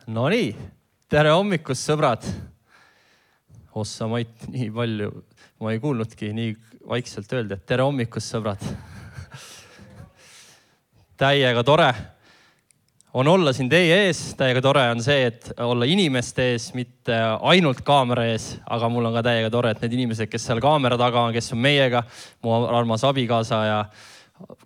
No nii, tere hommikust, sõbrad. Ossa Mait, nii palju, ma ei kuulnudki nii vaikselt öelda, et tere hommikust, sõbrad. Täiega tore on olla siin teie ees. Täiega tore on see, et olla inimeste ees, mitte ainult kaamera ees, aga mul on ka täiega tore, et need inimesed, kes seal kaamera taga on, kes on meiega, mu armas abikaasa ja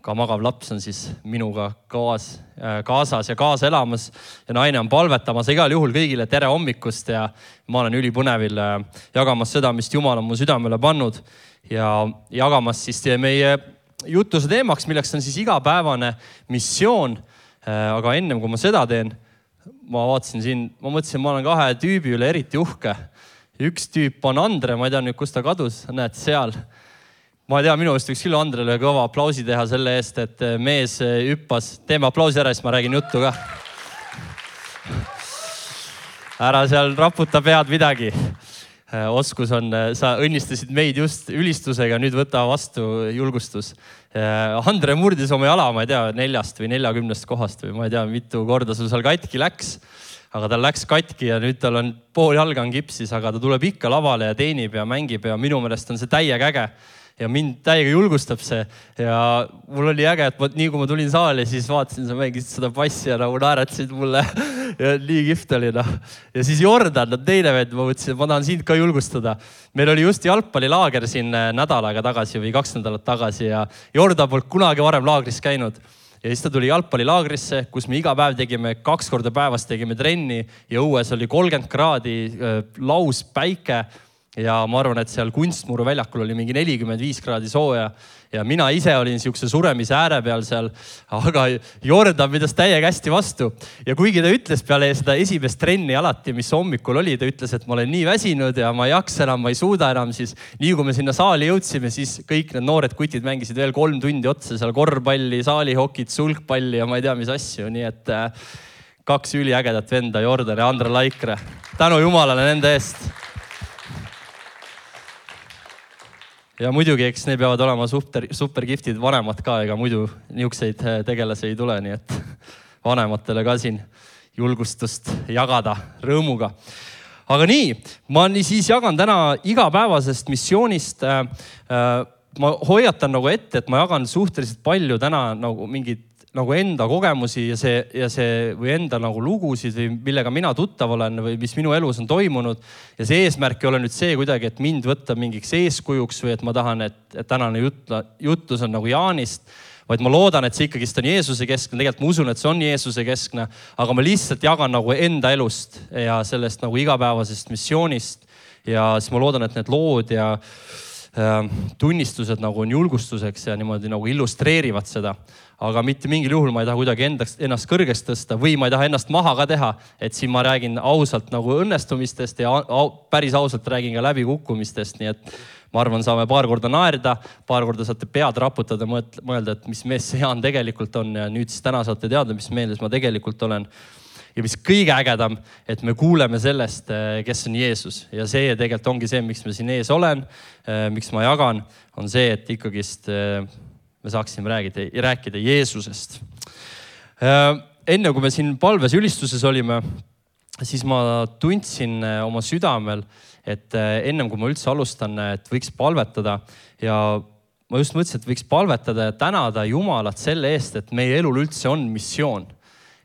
ka magav laps on siis minuga kaasas ja kaasa elamas ja naine on palvetamas. Igal juhul kõigile tere hommikust ja ma olen ülipõnevil jagamas seda, mis Jumal on mu südamele pannud ja jagamas siis meie jutuse teemaks, milleks on siis igapäevane missioon. Aga ennem kui ma seda teen, ma vaatasin siin, ma mõtlesin, ma olen kahe tüübi üle eriti uhke. Üks tüüp on Andre, ma ei tea nüüd, kus ta kadus, näed seal. Ma ei tea, minu eest võiks küll Andrele kõva aplausi teha selle eest, et mees hüppas. Teeme aplausi ära, siis ma räägin juttu ka. Ära seal raputa pead midagi. Oskus on, sa õnnistasid meid just ülistusega, nüüd võta vastu julgustus. Andre murdis oma jala, ma ei tea, 4 või 40 kohast või ma ei tea, mitu korda sul seal katki läks. Aga tal läks katki ja nüüd tal on pool jalga on kipsis, aga ta tuleb ikka lavale ja teenib ja mängib ja minu meelest on see täiega äge. Ja mind täiega julgustab see ja mul oli äge, et nii kui ma tulin saali, siis vaatasin, sa mängisid seda passi ja nagu naeratsid mulle ja nii kihvt oli. Ja siis Jordan, teine vend, ma mõtlesin, et ma tahan sind ka julgustada. Meil oli just jalgpallilaager siin nädal aega tagasi või 2 nädalat tagasi ja Jordan polnud kunagi varem laagris käinud. Ja siis ta tuli jalgpallilaagrisse, kus me iga päev tegime 2 korda päevas tegime trenni ja õues oli 30 kraadi laus päike. Ja ma arvan, et seal kunstmuru väljakul oli mingi 45 kraadi sooja ja mina ise olin siukse suremise ääre peal seal, aga Jordan pidas täiega hästi vastu. Ja kuigi ta ütles peale seda esimest trenni alati, mis hommikul oli, ta ütles, et ma olen nii väsinud ja ma ei jaksa enam, ma ei suuda enam, siis nii kui me sinna saali jõudsime, siis kõik need noored kutid mängisid veel 3 tundi otsa seal korvpalli, saalihokit, sulgpalli ja ma ei tea, mis asju. Nii et 2 üliägedat venda, Jordan ja Andre Laikre. Tänu Jumalale nende eest. Ja muidugi, eks need peavad olema super giftid vanemad ka, ega muidu niukseid tegelasi ei tule, nii et vanematele ka siin julgustust jagada rõõmuga. Aga nii, ma siis jagan täna igapäevasest missioonist. Ma hoiatan nagu ette, et ma jagan suhteliselt palju täna nagu mingid nagu enda kogemusi ja see või enda nagu lugusid või millega mina tuttav olen või mis minu elus on toimunud. Ja see eesmärk ei ole nüüd see kuidagi, et mind võtta mingiks eeskujuks või et ma tahan, et tänane jutlus on nagu Jaanist, vaid ma loodan, et see ikkagist on Jeesuse keskne. Tegelikult ma usun, et see on Jeesuse keskne, aga ma lihtsalt jagan nagu enda elust ja sellest nagu igapäevasest missioonist. Ja siis ma loodan, et need lood ja tunnistused nagu on julgustuseks ja niimoodi nagu illustreerivad seda. Aga mitte mingil juhul ma ei taha kuidagi ennast kõrgest tõsta või ma ei taha ennast maha ka teha, et siin ma räägin ausalt nagu õnnestumistest ja päris ausalt räägin ka läbikukkumistest. Nii et ma arvan, saame paar korda naerda, paar korda saate pead raputada, mõelda, et mis mees see Jaan tegelikult on ja nüüd siis täna saate teada, mis meeles ma tegelikult olen. Ja mis kõige ägedam, et me kuuleme sellest, kes on Jeesus. Ja see tegelikult ongi see, miks ma siin ees olen, miks ma jagan, on see, et ikkagist me saaksime rääkida Jeesusest. Enne kui me siin palves ülistuses olime, siis ma tundsin oma südamel, et ennem kui ma üldse alustan, et võiks palvetada ja ma just mõtlesin, et võiks palvetada ja tänada Jumalat selle eest, et meie elul üldse on missioon.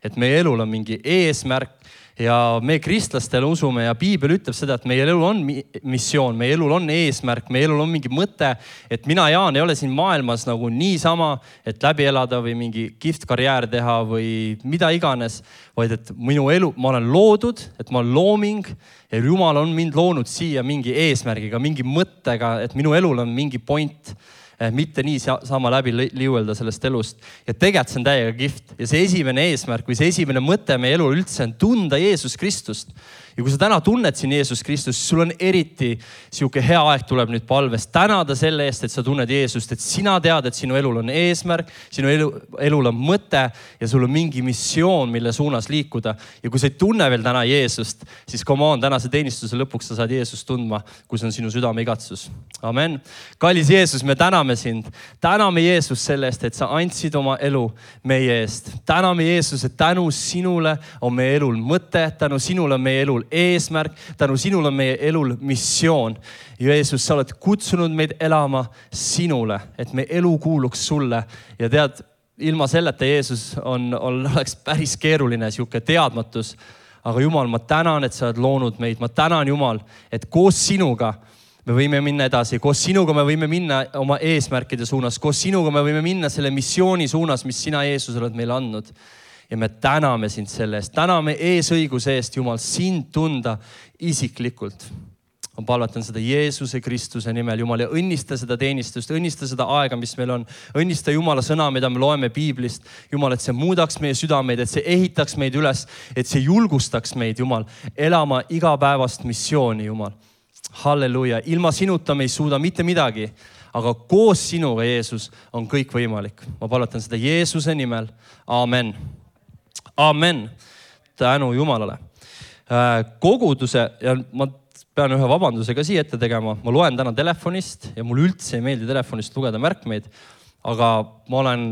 Et meie elul on mingi eesmärk ja me kristlastele usume ja Piibel ütleb seda, et meie elul on missioon, meie elul on eesmärk, meie elul on mingi mõte, et mina, Jaan, ei ole siin maailmas nagu niisama, et läbi elada või mingi kihvt karjäär teha või mida iganes, vaid et minu elu, ma olen loodud, et ma olen looming ja Jumal on mind loonud siia mingi eesmärgiga, mingi mõttega, et minu elul on mingi point. Mitte nii sama läbi liuelda sellest elust. Ja tegelikult see on täiega kihvt. Ja see esimene eesmärk või see esimene mõte meie elul üldse on tunda Jeesus Kristust. Ja kui sa täna tunned siin Jeesus Kristust, sul on eriti siuke hea aeg tuleb nüüd palves tänada selle eest, et sa tunned Jeesust, et sina tead, et sinu elul on eesmärk, sinu elul on mõte ja sul on mingi missioon, mille suunas liikuda. Ja kui sa ei tunne veel täna Jeesust, siis come on, tänase teenistuse lõpuks sa saad Jeesust tundma, kui see on sinu südame igatsus. Amen. Kallis Jeesus, me täname täname sind. Täname Jeesus selle eest, et sa andsid oma elu meie eest. Täname Jeesus, et tänu sinule on meie elul mõte, tänu sinule on meie elul eesmärk, tänu sinule on meie elul missioon. Jeesus, sa oled kutsunud meid elama sinule, et meie elu kuuluks sulle. Ja tead, ilma selleta Jeesus oleks päris keeruline sihuke teadmatus. Aga Jumal, ma tänan, et sa oled loonud meid. Ma tänan, Jumal, et koos sinuga me võime minna edasi. Koos sinuga me võime minna oma eesmärkide suunas. Koos sinuga me võime minna selle missiooni suunas, mis sina, Jeesus, oled meile andnud. Ja me täname sind selle eest. Täname eesõiguse eest, Jumal, sind tunda isiklikult. Ma palvetan seda Jeesuse Kristuse nimel, Jumal, ja õnnista seda teenistust, õnnista seda aega, mis meil on. Õnnista Jumala sõna, mida me loeme Piiblist. Jumal, et see muudaks meie südameid, et see ehitaks meid üles, et see julgustaks meid, Jumal, elama igapäevast missiooni, Jumal. Halleluja. Ilma sinuta me ei suuda mitte midagi, aga koos sinuga, Jeesus, on kõik võimalik. Ma palvetan seda Jeesuse nimel. Amen. Amen. Tänu Jumalale. Koguduse, ja ma pean ühe vabandusega siia ette tegema. Ma loen täna telefonist ja mul üldse ei meeldi telefonist lugeda märkmeid, aga ma olen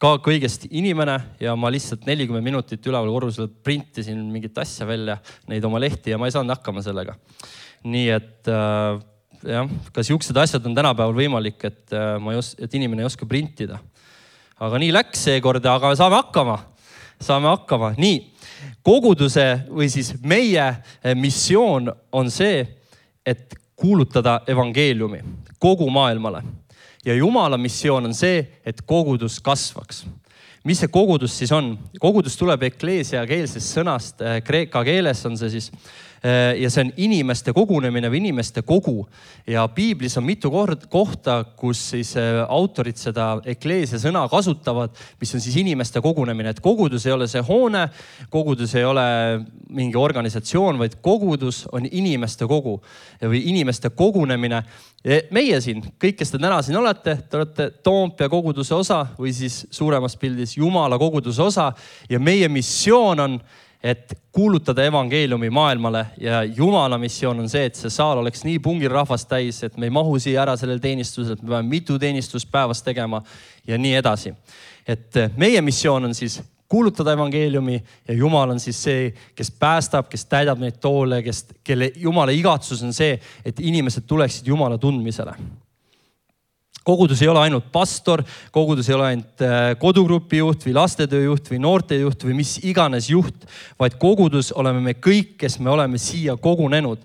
ka kõigest inimene ja ma lihtsalt 40 minutit üleval korrusel printisin mingit asja välja, neid oma lehti ja ma ei saanud hakkama sellega. Nii et jah, ka siuksed asjad on tänapäeval võimalik, et inimene ei oska printida. Aga nii läks seekord, aga saame hakkama. Nii. Koguduse või siis meie missioon on see, et kuulutada evangeeliumi kogu maailmale. Ja Jumala missioon on see, et kogudus kasvaks. Mis see kogudus siis on? Kogudus tuleb ekleesia keelsest sõnast, kreeka keeles on see siis, ja see on inimeste kogunemine või inimeste kogu. Ja Piiblis on mitu kohta, kus siis autorid seda ekleesia sõna kasutavad, mis on siis inimeste kogunemine. Et kogudus ei ole see hoone, kogudus ei ole mingi organisatsioon, vaid kogudus on inimeste kogu või inimeste kogunemine. Meie siin, kõik, kes te täna siin olete, te olete Toompea koguduse osa või siis suuremas pildis Jumala koguduse osa ja meie missioon on, et kuulutada evangeeliumi maailmale ja Jumala missioon on see, et see saal oleks nii pungil rahvast täis, et me ei mahu siia ära sellel teenistusel, et me peame mitu teenistust päevas tegema ja nii edasi. Et meie missioon on siis kuulutada evangeeliumi ja Jumal on siis see, kes päästab, kes täidab neid toole, kelle Jumala igatsus on see, et inimesed tuleksid Jumala tundmisele. Kogudus ei ole ainult pastor, kogudus ei ole ainult kodugrupi juht või lastetöö juht või noorte juht või mis iganes juht, vaid kogudus oleme me kõik, kes me oleme siia kogunenud.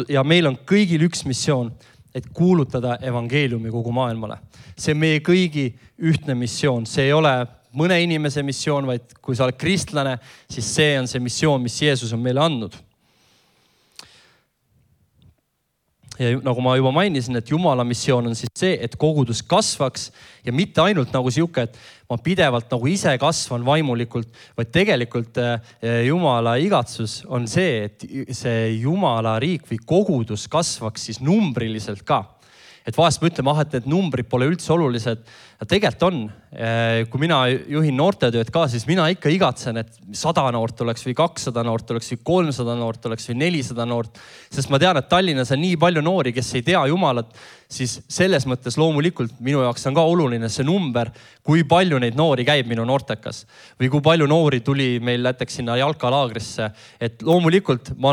Ja meil on kõigil üks missioon, et kuulutada evangeeliumi kogu maailmale. See on meie kõigi ühtne missioon. See ei ole mõne inimese missioon, vaid kui sa oled kristlane, siis see on see missioon, mis Jeesus on meile andnud. Ja nagu ma juba mainisin, et Jumala missioon on siis see, et kogudus kasvaks ja mitte ainult nagu siuke, et ma pidevalt nagu ise kasvan vaimulikult, vaid tegelikult Jumala igatsus on see, et see Jumala riik või kogudus kasvaks siis numbriliselt ka. Et vahest me ütleme, et need numbrid pole üldse olulised. Tegelikult on. Kui mina juhin noortetööd ka, siis mina ikka igatsen, et 100 noort oleks või 200 noort oleks või 300 noort oleks või 400 noort. Sest ma tean, et Tallinnas on nii palju noori, kes ei tea Jumalat, siis selles mõttes loomulikult minu jaoks on ka oluline see number, kui palju neid noori käib minu noortekas. Või kui palju noori tuli meil näiteks sinna jalkalaagrisse. Et loomulikult ma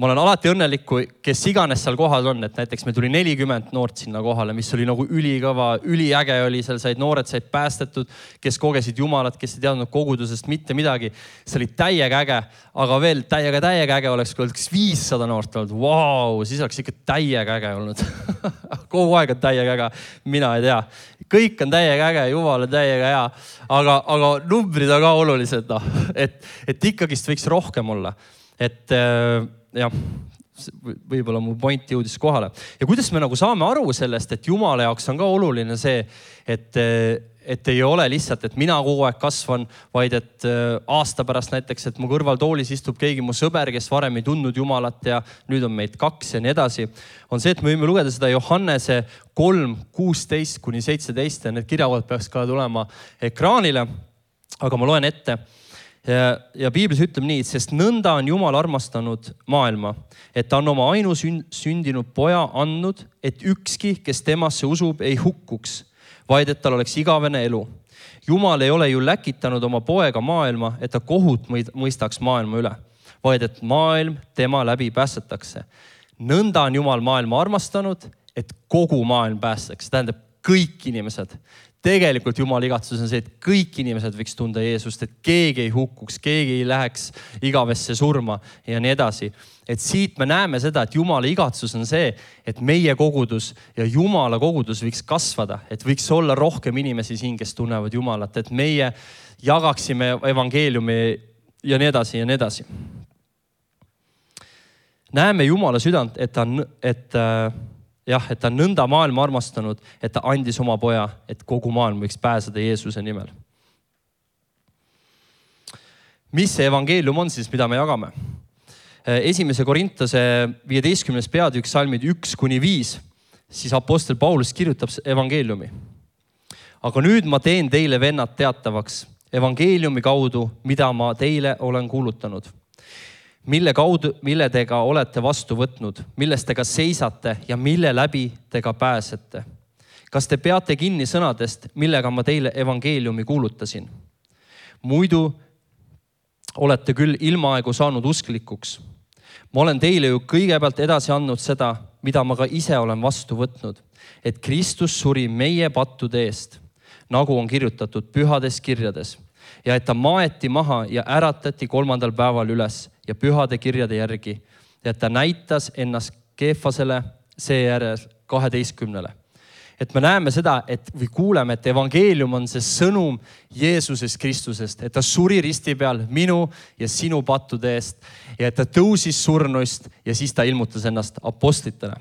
olen alati õnnelik, kes iganes seal kohal on, et näiteks meil tuli 40 noort sinna kohale, mis oli nagu ülikõva, üliäge oli, seal noored said päästetud, kes kogesid Jumalat, kes ei teadnud kogudusest mitte midagi. See oli täiega äge, aga veel täiega äge oleks, kui oleks 500 noort olnud. Vau, siis oleks ikka täiega äge olnud. Kogu aeg on täiega äge, mina ei tea. Kõik on täiega äge, Jumal on täiega hea, aga numbrid on ka olulised, et ikkagist võiks rohkem olla. Et jah, võib-olla mu point jõudis kohale. Ja kuidas me nagu saame aru sellest, et Jumala jaoks on ka oluline see, et ei ole lihtsalt, et mina kogu aeg kasvan, vaid et aasta pärast näiteks, et mu kõrval toolis istub keegi mu sõber, kes varem ei tundnud Jumalat ja nüüd on meid 2 ja nii edasi. On see, et me võime lugeda seda Johannese 3:16-17 ja need kirjakohad peaks ka tulema ekraanile. Aga ma loen ette. Ja Piiblis ütleb nii, sest nõnda on Jumal armastanud maailma, et ta on oma ainusündinud poja andnud, et ükski, kes temasse usub, ei hukkuks, vaid et tal oleks igavene elu. Jumal ei ole ju läkitanud oma poega maailma, et ta kohut mõistaks maailma üle, vaid et maailm tema läbi päästetakse. Nõnda on Jumal maailma armastanud, et kogu maailm päästaks. Tähendab kõik inimesed. Tegelikult Jumala igatsus on see, et kõik inimesed võiks tunda Jeesust, et keegi ei hukkuks, keegi ei läheks igavesse surma ja nii edasi. Et siit me näeme seda, et Jumala igatsus on see, et meie kogudus ja Jumala kogudus võiks kasvada, et võiks olla rohkem inimesi siin, kes tunnevad Jumalat, et meie jagaksime evangeeliumi ja nii edasi ja nii edasi. Näeme Jumala südant, et ta on nõnda maailma armastanud, et ta andis oma poja, et kogu maailm võiks pääseda Jeesuse nimel. Mis see evangeelium on siis, mida me jagame? 1. Korintuse 15. peatükk salmid 1-5, siis apostel Paulus kirjutab evangeeliumi. Aga nüüd ma teen teile, vennad, teatavaks evangeeliumi kaudu, mida ma teile olen kuulutanud, mille tega olete vastu võtnud, milles tega seisate ja mille läbi tega pääsete. Kas te peate kinni sõnadest, millega ma teile evangeeliumi kuulutasin? Muidu olete küll ilmaaegu saanud usklikuks. Ma olen teile ju kõigepealt edasi andnud seda, mida ma ka ise olen vastu võtnud, et Kristus suri meie pattude eest, nagu on kirjutatud pühades kirjades, ja et ta maeti maha ja äratati 3. päeval üles ja pühade kirjade järgi, ja et ta näitas ennast Keefasele, seejärel 12. Et me näeme seda, või kuuleme, et evangeelium on see sõnum Jeesusest Kristusest, et ta suri risti peal minu ja sinu pattude eest ja et ta tõusis surnuist ja siis ta ilmutas ennast apostlitele.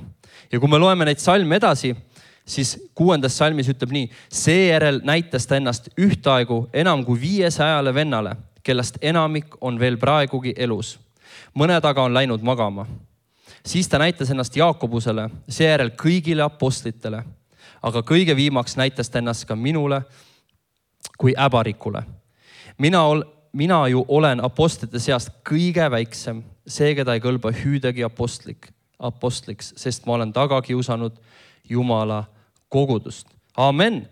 Ja kui me loeme neid salme edasi, siis 6. salmis ütleb nii, seejärel näitas ta ennast ühtaegu enam kui 500 vennale, kellest enamik on veel praegugi elus. Mõned aga on läinud magama. Siis ta näitas ennast Jaakobusele, seejärel kõigile apostlitele, aga kõige viimaks näitas ta ennast ka minule kui äbarikule. Mina ju olen apostlite seast kõige väiksem, see, keda ei kõlba hüüdagi apostliks, sest ma olen taga kiusanud Jumala kogudust. Amen.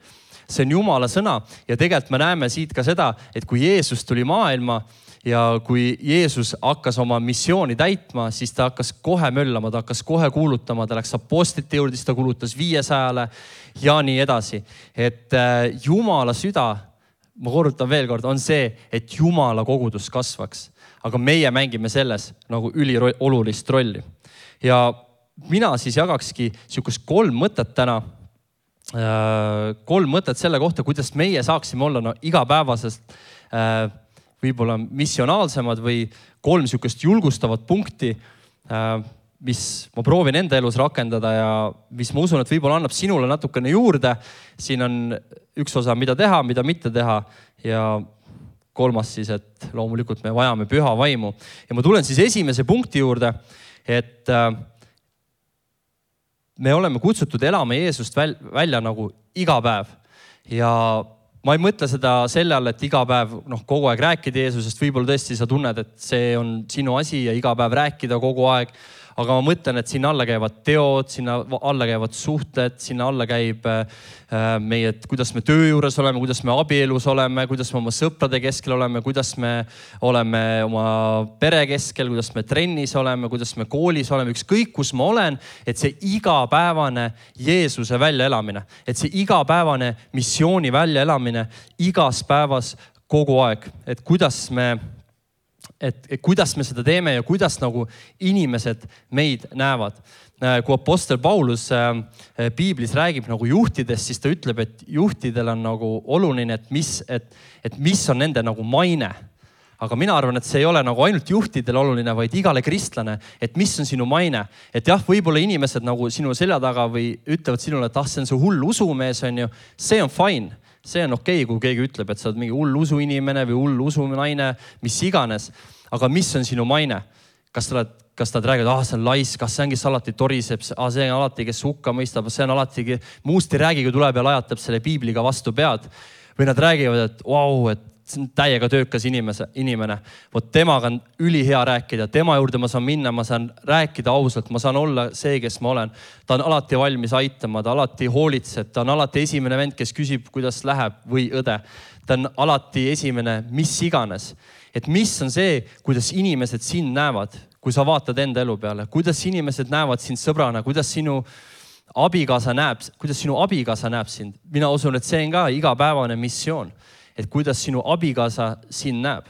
See on Jumala sõna ja tegelikult me näeme siit ka seda, et kui Jeesus tuli maailma ja kui Jeesus hakkas oma missiooni täitma, siis ta hakkas kohe möllama, ta hakkas kohe kuulutama, ta läks apostlite juurde, siis ta kuulutas 500 ja nii edasi. Et Jumala süda, ma korrutan veel kord, on see, et Jumala kogudus kasvaks. Aga meie mängime selles nagu üliolulist rolli. Ja mina siis jagakski sihukest 3 mõtet täna. 3 mõtet selle kohta, kuidas meie saaksime olla igapäevasest võib-olla missionaalsemad või 3 sihukest julgustavat punkti, mis ma proovin enda elus rakendada ja mis ma usun, et võib-olla annab sinule natukene juurde. Siin on üks osa, mida teha, mida mitte teha ja 3. siis, et loomulikult me vajame püha vaimu. Ja ma tulen siis esimese punkti juurde, et me oleme kutsutud elama Jeesust välja nagu iga päev. Ja ma ei mõtle seda selle all, et iga päev kogu aeg rääkida Jeesusest. Võib-olla tõesti sa tunned, et see on sinu asi ja iga päev rääkida kogu aeg. Aga ma mõtlen, et sinna alla käivad teod, sinna alla käivad suhted, sinna alla käib meie, kuidas me töö juures oleme, kuidas me abielus oleme, kuidas me oma sõprade keskel oleme, kuidas me oleme oma pere keskel, kuidas me trennis oleme, kuidas me koolis oleme, ükskõik kus ma olen, et see igapäevane Jeesuse väljaelamine, et see igapäevane missiooni väljaelamine igas päevas kogu aeg, et kuidas me seda teeme ja kuidas nagu inimesed meid näevad. Kui apostel Paulus Piiblis räägib nagu juhtidest, siis ta ütleb, et juhtidel on nagu oluline, et mis on nende nagu maine. Aga mina arvan, et see ei ole nagu ainult juhtidel oluline, vaid igale kristlane, et mis on sinu maine. Et jah, võib-olla inimesed nagu sinu selja taga või ütlevad sinule, et see on see hull usumees, on ju, see on fine. See on okei, kui keegi ütleb, et sa oled mingi hull usuinimene või hull usunaine, mis iganes. Aga mis on sinu maine? Kas nad räägivad, see on lais, kas see on, kes alati toriseb, see on alati, kes hukka mõistab, see on alati, muust ei räägi, kui tuleb ja lajatab selle piibliga vastu pead. Või nad räägivad, et see on täiega töökas inimene. Vot temaga on ülihea rääkida, tema juurde ma saan minna, ma saan rääkida ausalt, ma saan olla see, kes ma olen. Ta on alati valmis aitama, ta alati hoolitseb, ta on alati esimene vend, kes küsib, kuidas läheb või õde. Ta on alati esimene, mis iganes. Et mis on see, kuidas inimesed sind näevad, kui sa vaatad enda elu peale, kuidas inimesed näevad sind sõbrana, kuidas sinu abikaasa näeb sind. Mina usun, et see on ka igapäevane missioon. Et kuidas sinu abikaasa sind näeb.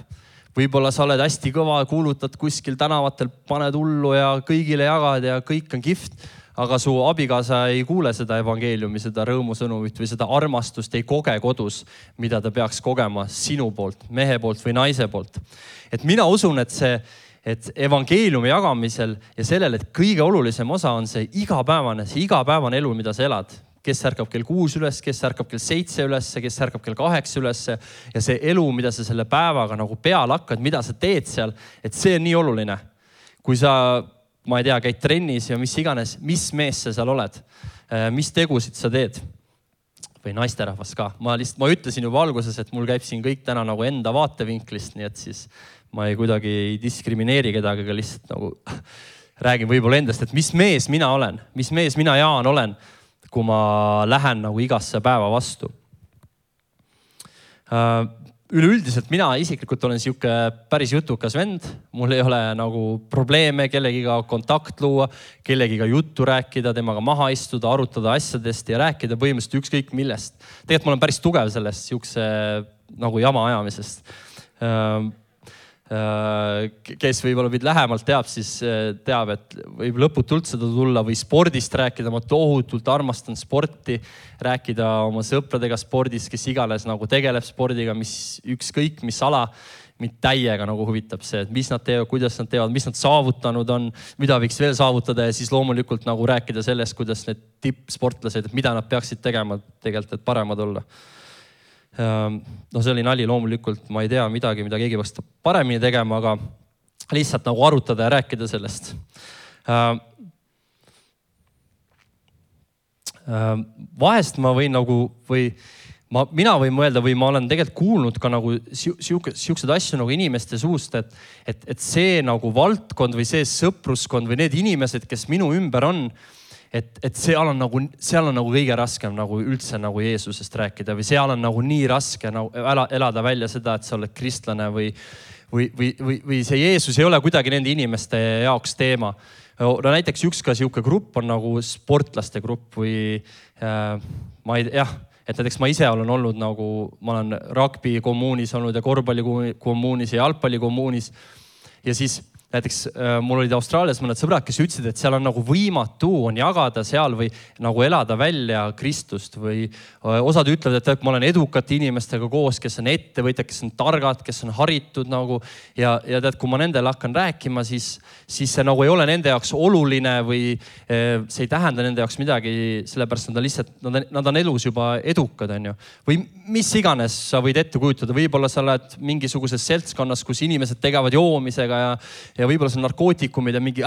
Võib-olla sa oled hästi kõva, kuulutad kuskil tänavatel, paned hullu ja kõigile jagad ja kõik on kihvt, aga su abikaasa ei kuule seda evangeeliumi, seda rõõmusõnumit või seda armastust ei koge kodus, mida ta peaks kogema sinu poolt, mehe poolt või naise poolt. Et mina usun, et evangeeliumi jagamisel ja sellel, et kõige olulisem osa on see igapäevane elu, mida sa elad. Kes ärkab kell 6 üles, kes ärkab kell 7 üles, kes ärkab kell 8 üles. Ja see elu, mida sa selle päevaga nagu peale hakkad, mida sa teed seal, et see on nii oluline. Kui sa, ma ei tea, käid trennis ja mis iganes, mis mees sa seal oled, mis tegusid sa teed või naisterahvas ka. Ma ütlesin juba alguses, et mul käib siin kõik täna nagu enda vaatevinklist, nii et siis ma kuidagi ei diskrimineeri kedagi, aga lihtsalt nagu räägin võib-olla endast, et mis mees mina olen, mis mees mina Jaan olen, kui ma lähen nagu igasse päeva vastu. Üleüldiselt mina isiklikult olen siuke päris jutukas vend. Mul ei ole nagu probleeme kellegiga kontakt luua, kellegiga juttu rääkida, temaga maha istuda, arutada asjadest ja rääkida põhimõtteliselt ükskõik millest. Tegelikult ma olen päris tugev sellest siukse nagu jama ajamisest. Kes võib-olla meid lähemalt teab, siis teab, et võib lõputult seda tulla või spordist rääkida. Ma tohutult armastan sporti, rääkida oma sõpradega spordist, kes iganes nagu tegeleb spordiga, mis ükskõik, mis ala, mind täiega nagu huvitab see, et mis nad teevad, kuidas nad teevad, mis nad saavutanud on, mida võiks veel saavutada ja siis loomulikult nagu rääkida sellest, kuidas need tippsportlased, mida nad peaksid tegema tegelikult, et paremad olla. No see oli nali loomulikult, ma ei tea midagi, mida keegi peaks paremini tegema, aga lihtsalt nagu arutada ja rääkida sellest. Vahest ma võin nagu, mina võin mõelda või ma olen tegelikult kuulnud ka nagu siuksed asju nagu inimeste suust, et see nagu valdkond või see sõpruskond või need inimesed, kes minu ümber on, et seal on nagu kõige raskem nagu üldse nagu Jeesusest rääkida või seal on nagu nii raske nagu elada välja seda, et sa oled kristlane või see Jeesus ei ole kuidagi nende inimeste jaoks teema. No näiteks üks ka siuke grupp on nagu sportlaste grupp või ma ei tea, et näiteks ma ise olen olnud nagu, ma olen rugby kommuunis olnud ja korvpalli kommuunis ja jalgpalli kommuunis ja siis näiteks mul olid Austraalias mõned sõbrad, kes ütlesid, et seal on nagu võimatu on jagada seal või nagu elada välja Kristust või osad ütlevad, et ma olen edukate inimestega koos, kes on ettevõtjad, kes on targad, kes on haritud nagu ja tead, kui ma nendele hakkan rääkima, siis see nagu ei ole nende jaoks oluline või see ei tähenda nende jaoks midagi, sellepärast nad on elus juba edukad, on ju. Või mis iganes sa võid ette kujutada, võib-olla sa oled mingisuguses seltskonnas, kus inimesed tegevad joomisega ja võib-olla see on narkootikumid ja mingi,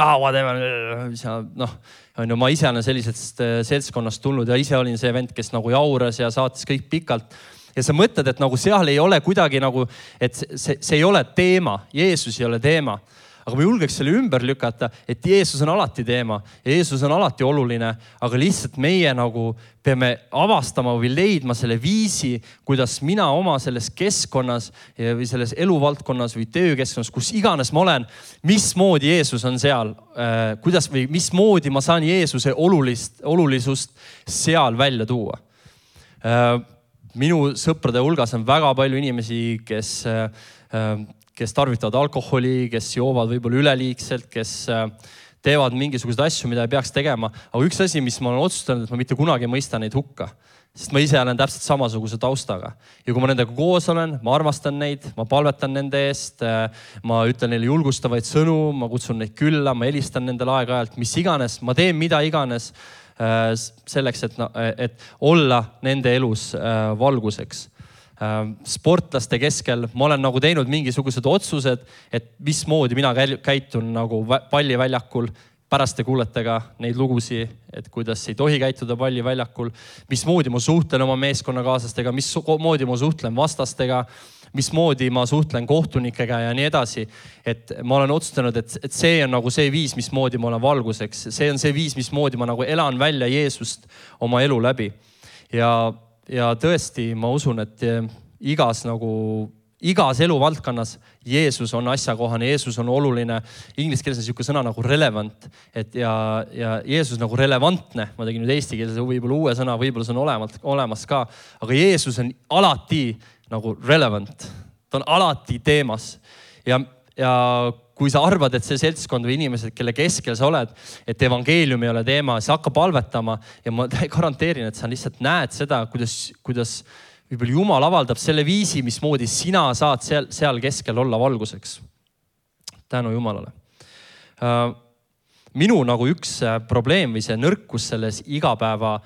ma ise olen sellisest seltskonnast tulnud ja ise olin see vend, kes nagu jauras ja saatis kõik pikalt. Ja sa mõtled, et nagu seal ei ole kuidagi nagu, et see ei ole teema, Jeesus ei ole teema. Aga ma julgeks selle ümber lükata, et Jeesus on alati teema ja Jeesus on alati oluline, aga lihtsalt meie nagu peame avastama või leidma selle viisi, kuidas mina oma selles keskkonnas või selles eluvaldkonnas või töökeskkonnas, kus iganes ma olen, mismoodi Jeesus on seal, kuidas või mismoodi ma saan Jeesuse olulisust seal välja tuua. Minu sõprade hulgas on väga palju inimesi, kes tarvitavad alkoholi, kes joovad võib-olla üleliigselt, kes teevad mingisuguseid asju, mida ei peaks tegema. Aga üks asi, mis ma olen otsustanud, et ma mitte kunagi mõista neid hukka. Sest ma ise olen täpselt samasuguse taustaga. Ja kui ma nendega koos olen, ma armastan neid, ma palvetan nende eest, ma ütlen neile julgustavaid sõnu, ma kutsun neid külla, ma helistan nendele aeg-ajalt, mis iganes, ma teen mida iganes selleks, et olla nende elus valguseks. Sportlaste keskel ma olen nagu teinud mingisugused otsused, et mismoodi mina käitun nagu palliväljakul. Pärast te kuulete ka neid lugusi, et kuidas ei tohi käituda palliväljakul, mismoodi ma suhtlen oma meeskonnakaaslastega, mismoodi ma suhtlen vastastega, mismoodi ma suhtlen kohtunikega ja nii edasi. Et ma olen otsustanud, et see on nagu see viis, mismoodi ma olen valguseks. See on see viis, mismoodi ma nagu elan välja Jeesust oma elu läbi. Ja tõesti, ma usun, et igas eluvaldkonnas Jeesus on asjakohane, Jeesus on oluline. Inglise keeles on niisugune sõna nagu relevant. Ja Jeesus nagu relevantne. Ma tegin nüüd eesti keeles võib-olla uue sõna, võib-olla see on olemas ka. Aga Jeesus on alati nagu relevant. Ta on alati teemas. Ja kui sa arvad, et see seltskond või inimesed, kelle keskel sa oled, et evangeelium ei ole teema, siis hakka palvetama. Ja ma garanteerin, et sa lihtsalt näed seda, kuidas võib-olla Jumal avaldab selle viisi, mismoodi sina saad seal keskel olla valguseks. Tänu Jumalale. Minu nagu üks probleem või see nõrkus selles igapäeva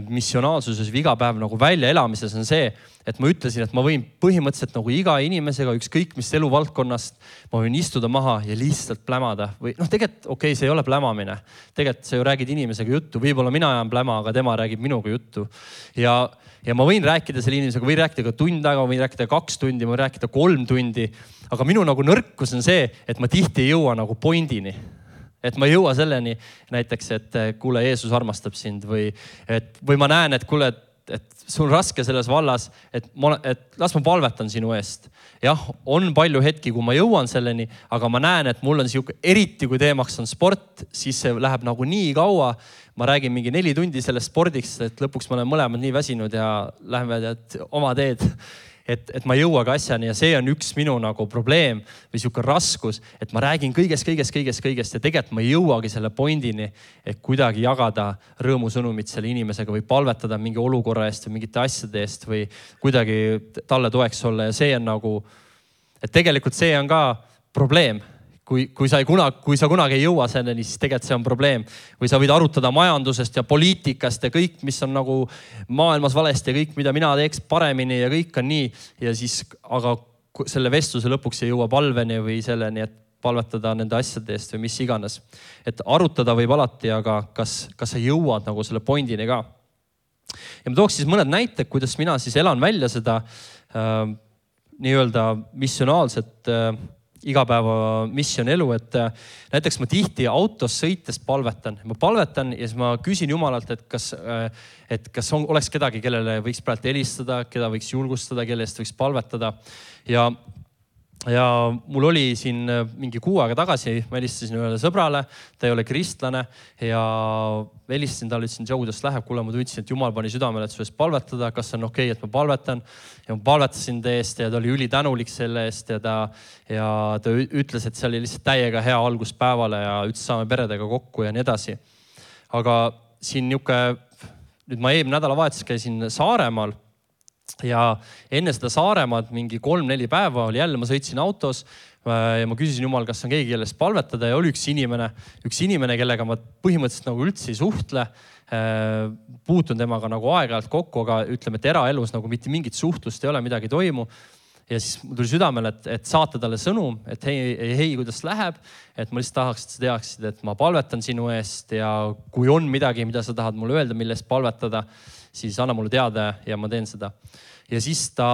missionaalsuses või igapäev nagu välja elamises on see, et ma ütlesin, et ma võin põhimõtteliselt nagu iga inimesega, ükskõik mis eluvaldkonnast, ma võin istuda maha ja lihtsalt plämada. Või tegelikult, okei, see ei ole plämamine. Tegelikult sa ju räägid inimesega juttu. Võib-olla mina ajan pläma, aga tema räägib minuga juttu. Ja ma võin rääkida selle inimesega, võin rääkida ka tund aega, võin rääkida 2 tundi, võin rääkida 3 tundi. Aga minu nagu nõrkus on see, et ma tihti ei jõua nagu pointini. Et ma ei jõua selleni näiteks, et kuule, Jeesus armastab sind või ma näen, et kuule, et sul on raske selles vallas, et las ma palvetan sinu eest. Jah, on palju hetki, kui ma jõuan selleni, aga ma näen, et mul on eriti kui teemaks on sport, siis see läheb nagu nii kaua. Ma räägin mingi 4 tundi sellest spordiks, et lõpuks ma olen mõlemad nii väsinud ja läheme oma teed. Et ma ei jõua ka asjani ja see on üks minu nagu probleem või sihuke raskus, et ma räägin kõigest ja tegelikult ma ei jõuagi selle pointini, et kuidagi jagada rõõmusõnumit selle inimesega või palvetada mingi olukorra eest või mingite asjade eest või kuidagi talle toeks olla. Ja see on nagu, et tegelikult see on ka probleem. Kui sa kunagi ei jõua selleni, siis tegelikult see on probleem. Või sa võid arutada majandusest ja poliitikast ja kõik, mis on nagu maailmas valesti ja kõik, mida mina teeks paremini ja kõik on nii. Ja siis, aga selle vestluse lõpuks ei jõua palveni või selleni, et palvetada nende asjade eest või mis iganes. Et arutada võib alati, aga kas sa jõuad nagu selle pointini ka. Ja ma tooks siis mõned näited, kuidas mina siis elan välja seda nii-öelda missionaalset igapäeva missionelu, et näiteks ma tihti autos sõites palvetan. Ma palvetan ja siis ma küsin Jumalalt, et kas oleks kedagi, kellele võiks praegu helistada, keda võiks julgustada, kelle eest võiks palvetada. Ja mul oli siin mingi 6 aega tagasi, ma helistasin ühele sõbrale, ta ei ole kristlane ja helistasin talle, ütlesin, Joe, kuidas läheb, kuule, ma tundsin, et Jumal pani südamele, et su eest palvetada, kas on okei, et ma palvetan. Ja ma palvetasin ta eest ja ta oli ülitänulik selle eest ja ta ütles, et see oli lihtsalt täiega hea algus päevale ja ütles, saame peredega kokku ja nii edasi. Aga siin nüüd ma eelmine nädalavahetus käisin Saaremaal. Ja enne seda Saaremaad mingi 3-4 päeva oli jälle, ma sõitsin autos ja ma küsisin Jumal, kas on keegi, kellest palvetada ja oli üks inimene, kellega ma põhimõtteliselt nagu üldse ei suhtle. Puutun temaga nagu aeg-ajalt kokku, aga ütleme, et eraelus nagu mitte mingit suhtlust ei ole, midagi ei toimu. Ja siis mul tuli südamele, et saata talle sõnum, et hei, kuidas läheb, et ma lihtsalt tahaks, et sa teaksid, et ma palvetan sinu eest ja kui on midagi, mida sa tahad mulle öelda, millest palvetada, siis anna mulle teada ja ma teen seda. Ja siis ta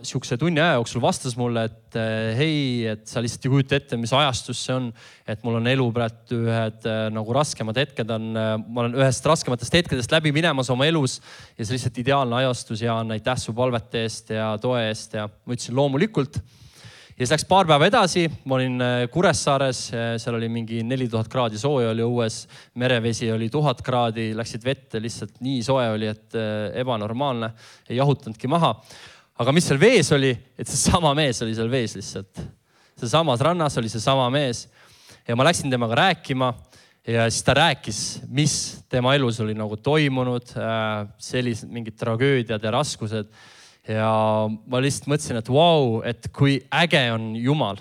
siukse tunni aja jooksul vastas mulle, et hei, et sa lihtsalt ei kujuta ette, mis ajastus see on, et mul on elu praegu ühed nagu raskemad hetked ma olen ühest raskematest hetkedest läbi minemas oma elus ja see lihtsalt ideaalne ajastus ja aitäh su palvete eest ja toe eest ja ma ütlesin loomulikult. Ja siis läks paar päeva edasi, ma olin Kuressaares, seal oli mingi 4000 kraadi sooja oli õues, merevesi oli 1000 kraadi, läksid vette, lihtsalt nii soe oli, et ebanormaalne, ei jahutanudki maha. Aga mis seal vees oli, et see sama mees oli seal vees lihtsalt. See samas rannas oli see sama mees ja ma läksin temaga rääkima ja siis ta rääkis, mis tema elus oli nagu toimunud, sellised mingid tragöödiad ja raskused. Ja ma lihtsalt mõtlesin, et vau, et kui äge on Jumal.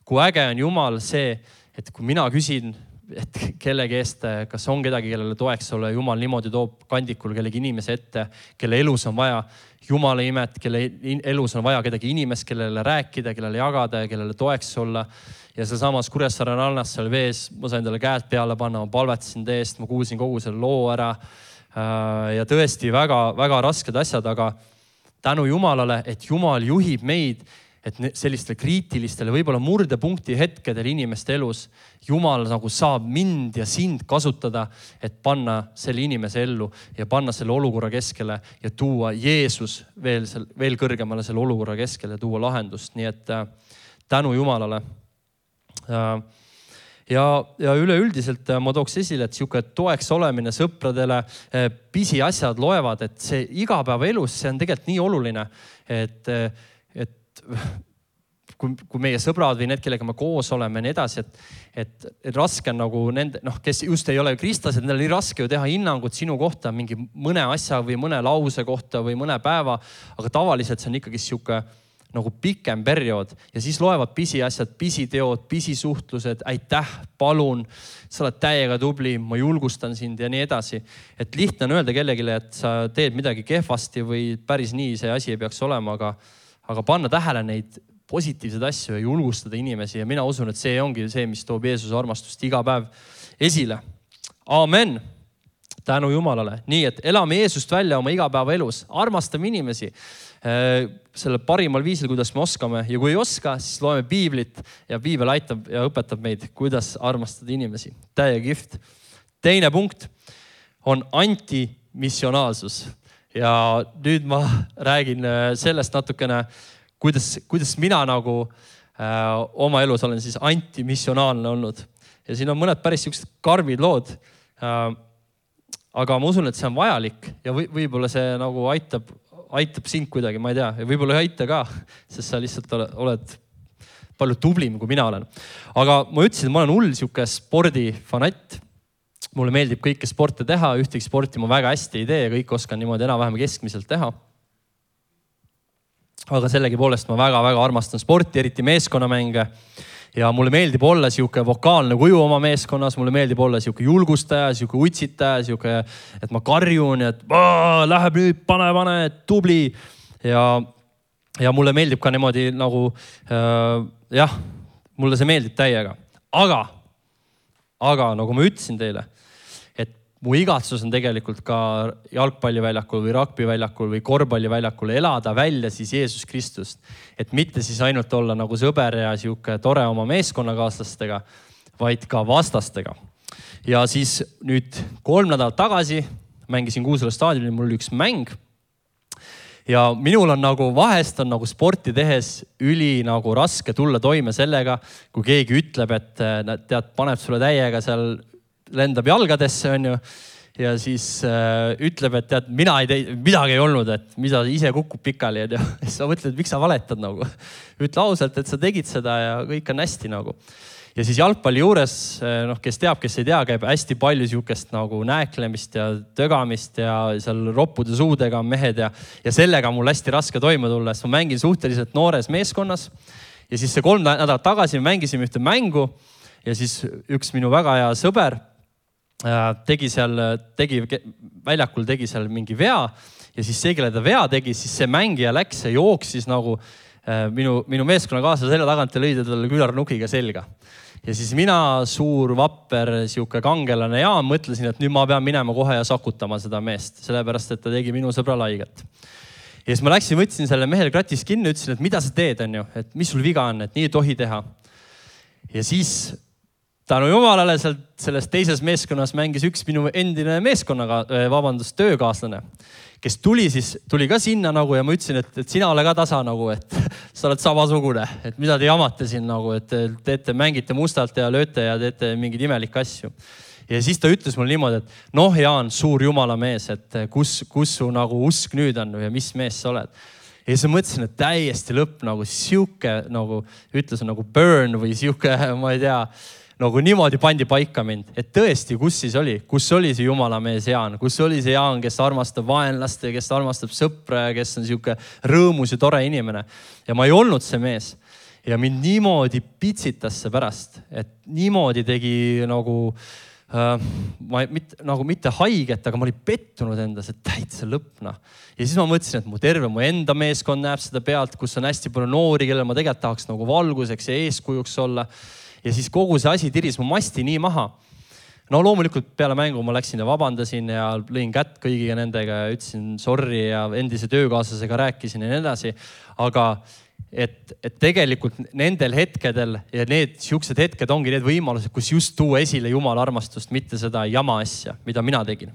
Kui äge on Jumal see, et kui mina küsin, et kellegi eest, kas on kedagi, kellele toeks olla, Jumal niimoodi toob kandikul kellegi inimese ette, kelle elus on vaja Jumala imet, kelle elus on vaja kedagi inimest, kellele rääkida, kellele jagada ja kellele toeks olla. Ja see samas Kuressaare rannas seal vees, ma sain talle käed peale panna, ma palvetasin teest, ma kuulsin kogu selle loo ära. Ja tõesti väga, väga rasked asjad, aga tänu Jumalale, et Jumal juhib meid, et sellistele kriitilistele, võib-olla murdepunkti hetkedel inimeste elus Jumal nagu saab mind ja sind kasutada, et panna selle inimese ellu ja panna selle olukorra keskele ja tuua Jeesus veel kõrgemale selle olukorra keskele ja tuua lahendust. Nii et tänu Jumalale. Ja üleüldiselt ma tooks esile, et siuke toeks olemine sõpradele, pisiasjad loevad, et see igapäevaelus, see on tegelikult nii oluline, et kui meie sõbrad või need, kellega me koos oleme ja nii edasi, et raske on nagu nende, kes just ei ole kristlased, neil on nii raske ju teha hinnangut sinu kohta mingi mõne asja või mõne lause kohta või mõne päeva, aga tavaliselt see on ikkagi siuke nagu pikem periood ja siis loevad pisiasjad, pisiteod, pisisuhtlused, aitäh, palun, sa oled täiega tubli, ma julgustan sind ja nii edasi. Et lihtne on öelda kellelegi, et sa teed midagi kehvasti või päris nii see asi ei peaks olema, aga panna tähele neid positiivseid asju ja julgustada inimesi ja mina usun, et see ongi see, mis toob Jeesuse armastust iga päev esile. Amen. Tänu Jumalale. Nii, et elame Jeesust välja oma igapäeva elus, armastame inimesi selle parimal viisil, kuidas me oskame ja kui ei oska, siis loeme piiblit ja piibel aitab ja õpetab meid, kuidas armastada inimesi. Täiega kihvt. Teine punkt on antimissionaalsus ja nüüd ma räägin sellest natukene, kuidas mina nagu oma elus olen siis antimissionaalne olnud ja siin on mõned päris siuksed karmid lood, aga ma usun, et see on vajalik ja võib-olla see nagu aitab sind kuidagi, ma ei tea, ja võib-olla ei aita ka, sest sa lihtsalt oled palju tublim, kui mina olen. Aga ma ütlesin, et ma olen hull siuke spordifanatt. Mulle meeldib kõike sporte teha, ühtegi sporti ma väga hästi ei tee ja kõik oskan niimoodi enam-vähem keskmiselt teha. Aga sellegipoolest ma väga-väga armastan sporti, eriti meeskonnamänge. Ja mulle meeldib olla siuke vokaalne kuju oma meeskonnas, mulle meeldib olla siuke julgustaja, siuke utsitaja, siuke, et ma karjun, et läheb nüüd, pane, tubli. Ja mulle meeldib ka niimoodi nagu, mulle see meeldib täiega. Aga nagu ma ütlesin teile, et mu igatsus on tegelikult ka jalgpalliväljakul või rugbyväljakul või korvpalliväljakul elada välja siis Jeesus Kristust. Et mitte siis ainult olla nagu sõber ja siuke tore oma meeskonnakaaslastega, vaid ka vastastega. Ja siis nüüd 3 nädalat tagasi mängisin Kuusalu staadionil, mul oli üks mäng. Ja minul on nagu vahest on nagu sporti tehes üli nagu raske tulla toime sellega, kui keegi ütleb, et tead, paneb sulle täiega seal lendab jalgadesse, on ju. Ja siis ütleb, et tead, midagi ei olnud, et mida ise kukub pikali. Ja siis sa mõtled, miks sa valetad nagu. Ütle ausalt, et sa tegid seda ja kõik on hästi nagu. Ja siis jalgpalli juures, kes teab, kes ei tea, käib hästi palju siukest nagu näeklemist ja tögamist ja seal roppude suudega on mehed ja sellega on mul hästi raske toime tulla, sest ma mängin suhteliselt noores meeskonnas. Ja siis see 3 nädalat tagasi mängisime ühte mängu ja siis üks minu väga hea sõber väljakul tegi seal mingi vea ja siis see, kelle ta vea tegi, siis see mängija läks ja jooksis nagu minu meeskonnakaasla selle tagant ja lõi talle külarnukiga selga. Ja siis mina, suur, vapper, siuke kangelane ja mõtlesin, et nüüd ma pean minema kohe ja sakutama seda meest, sellepärast, et ta tegi minu sõbra laiget. Ja siis ma läksin, võtsin selle mehel kratis kinni, ütlesin, et mida sa teed, on ju, et mis sul viga on, et nii ei tohi teha. Ja siis tänu Jumalale selles teises meeskonnas mängis üks minu endine töökaaslane, kes tuli ka sinna nagu ja ma ütlesin, et sina ole ka tasa nagu, et sa oled samasugune, et mida te jamate siin nagu, et mängite mustalt ja lööte ja teete mingeid imelikke asju. Ja siis ta ütles mulle niimoodi, et Jaan, suur Jumala mees, et kus su nagu usk nüüd on ja mis mees sa oled. Ja siis ma mõtlesin, et täiesti lõpp nagu siuke, nagu ütles nagu burn või siuke, ma ei tea, nagu niimoodi pandi paika mind, et tõesti, kus siis oli? Kus oli see Jumala mees Jaan? Kus oli see Jaan, kes armastab vaenlast ja kes armastab sõpra ja kes on siuke rõõmus ja tore inimene? Ja ma ei olnud see mees. Ja mind niimoodi pitsitas see pärast, et niimoodi tegi nagu, mitte haiget, aga ma olin pettunud endas, et täitsa lõpna. Ja siis ma mõtlesin, et mu enda meeskond näeb seda pealt, kus on hästi palju noori, kellel ma tegelikult tahaks nagu valguseks ja eeskujuks olla. Ja siis kogu see asi tiris mu masti nii maha. no loomulikult peale mängu ma läksin ja vabandasin ja lõin kätt kõigiga nendega ja ütlesin sorry ja endise töökaaslasega rääkisin ja nii edasi. Aga et tegelikult nendel hetkedel ja need siuksed hetked ongi need võimalused, kus just tuua esile Jumala armastust, mitte seda jama asja, mida mina tegin.